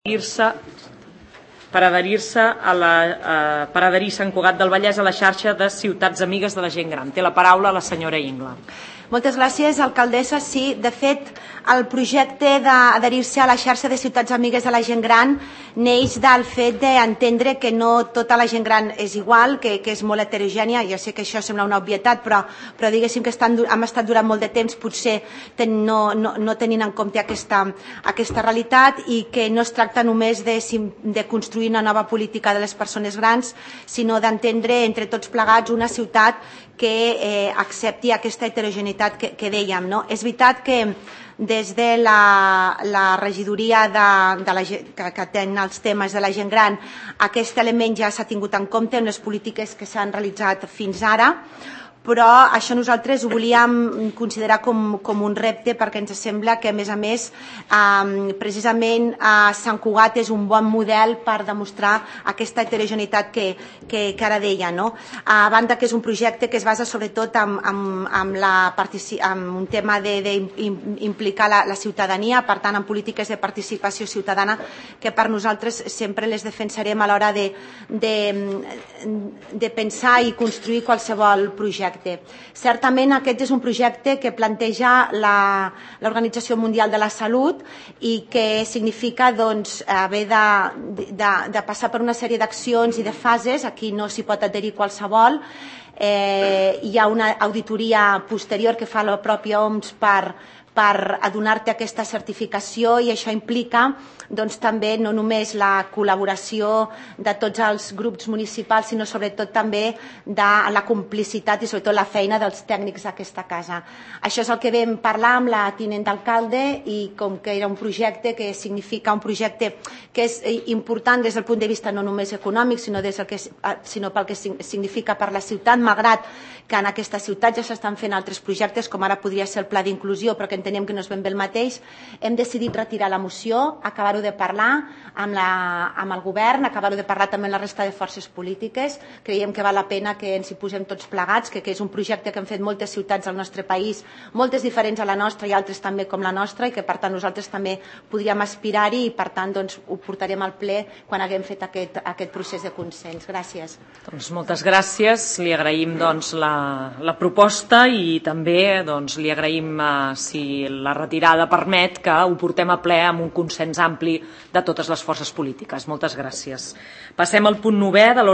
per adherir-se a Sant Cugat del Vallès a la xarxa de ciutats amigues de la gent gran. Té la paraula la senyora Ingla. Moltes gràcies, alcaldessa. Sí, de fet, el projecte d'adherir-se a la xarxa de ciutats amigues de la gent gran neix del fet d'entendre que no tota la gent gran és igual, que és molt heterogènia. Ja sé que això sembla una obvietat, però diguéssim que hem estat durant molt de temps potser no tenint en compte aquesta realitat, i que no es tracta només de construir una nova política de les persones grans, sinó d'entendre entre tots plegats una ciutat que accepti aquesta heterogeneïtat que dèiem. És veritat que des de la regidoria que ten els temes de la gent gran aquest element ja s'ha tingut en compte en les polítiques que s'han realitzat fins ara, però això nosaltres ho volíem considerar com un repte, perquè ens sembla que, a més, precisament Sant Cugat és un bon model per demostrar aquesta heterogeneïtat que ara deia. A banda que és un projecte que es basa sobretot en un tema d'implicar la ciutadania, per tant, en polítiques de participació ciutadana, que per nosaltres sempre les defensarem a l'hora de pensar i construir qualsevol projecte. Certament aquest és un projecte que planteja l'Organització Mundial de la Salut i que significa haver de passar per una sèrie d'accions i de fases. Aquí no s'hi pot adherir qualsevol. Hi ha una auditoria posterior que fa la pròpia OMS per adonar-te aquesta certificació, i això implica també no només la col·laboració de tots els grups municipals, sinó sobretot també de la complicitat i sobretot la feina dels tècnics d'aquesta casa. Això és el que vam parlar amb la tinent d'alcalde, i com que era un projecte que significa un projecte que és important des del punt de vista no només econòmic, sinó pel que significa per la ciutat, malgrat que en aquesta ciutat ja s'estan fent altres projectes, com ara podria ser el pla d'inclusió, però que entenem que no és ben bé el mateix, hem decidit retirar la moció, acabar-ho de parlar amb el govern, acabar-ho de parlar també amb la resta de forces polítiques. Creiem que val la pena que ens hi posem tots plegats, que és un projecte que han fet moltes ciutats del nostre país, moltes diferents a la nostra i altres també com la nostra, i que per tant nosaltres també podríem aspirar-hi, i per tant ho portarem al ple quan haguem fet aquest procés de consens. Gràcies. Moltes gràcies. Li agraïm la proposta, i també li agraïm, si la retirada permet, que ho portem a ple amb un consens ampli de totes les forces polítiques. Moltes gràcies. Passem al punt 9 de l'ordre